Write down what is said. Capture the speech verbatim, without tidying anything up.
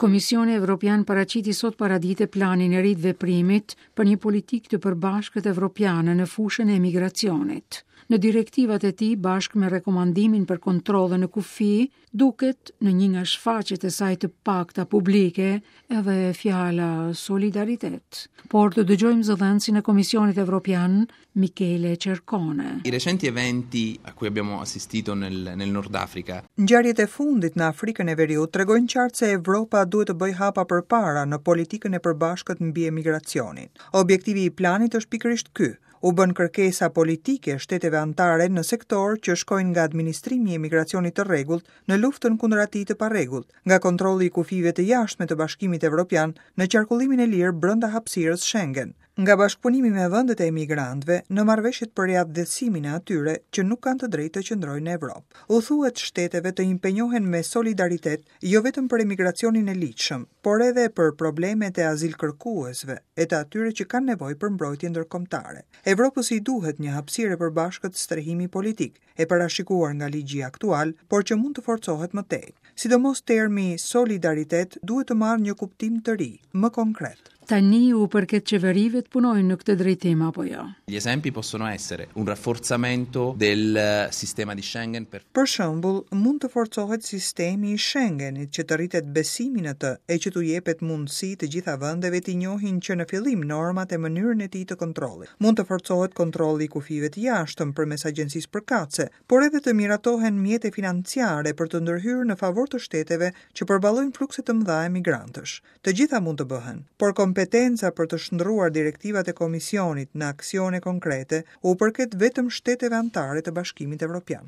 Komisioni Evropian paraqiti sot paradite planin e ri të veprimit për një politikë të përbashkët evropiane në fushën e emigracionit. Në direktivat e tij, bashkë me rekomandimin për kontrollin në kufi, duket në një nga shfaqjet e saj të pakta publike edhe fjala solidaritet. Por të dëgjojmë zëdhënësin e Komisionit Evropian, Michele Cercone. I recenti eventi a cui abbiamo assistito nel, nel Nord Africa. Ngjarjet e fundit në Afrikën e Veriut tregojnë qartë se Evropa duhet të bëjë hapa përpara në politikën e përbashkët mbi emigracionin. Objektivi i planit është pikërisht ky: u bën kërkesa politike shteteve anëtare në sektor që shkojnë nga administrimi i emigracionit të rregullt në luftën kundër atij të parregullt, nga kontrolli i kufijve të jashtme të Bashkimit Evropian në qarkullimin e lirë brenda hapësirës Schengen, nga bashkëpunimi me vendet e emigrantëve në marrëveshjet për riatdhesimin e atyre që nuk kanë të drejtë të qëndrojnë në Evropë. U thuhet shteteve të impenjohen me solidaritet jo vetëm për emigracionin e ligjshëm, por edhe për problemet e azilkërkuesve e të atyre që kanë nevojë për mbrojtje ndërkombëtare. Evropës i duhet një hapësirë e përbashkët strehimi politik, e parashikuar nga ligji aktual, por që mund të forcohet më tej. Sidomos termi solidaritet duhet të marrë një kuptim të ri, më konkret. Tani u përket qeverive të punojnë në këtë drejtim apo jo? Gli esempi possono essere un rafforzamento del sistema di Schengen per Për shembull, mund të forcohet sistemi i Schengenit që të rritet besimi në të e që t'u jepet mundësi të gjitha vendeve të njohin që në fillim normat e mënyrën e tij të kontrollit. Mund të forcohet kontrolli i kufijve të jashtëm përmes agjencisë përkatëse, por edhe të miratohen mjete financiare për të ndërhyrë në favor të shteteve që përballojnë flukse të mëdha emigrantësh. Të gjitha mund të bëhen, por kompetenca për të shndërruar direktivat e Komisionit në aksione konkrete u përket vetëm shteteve anëtare të Bashkimit Evropian.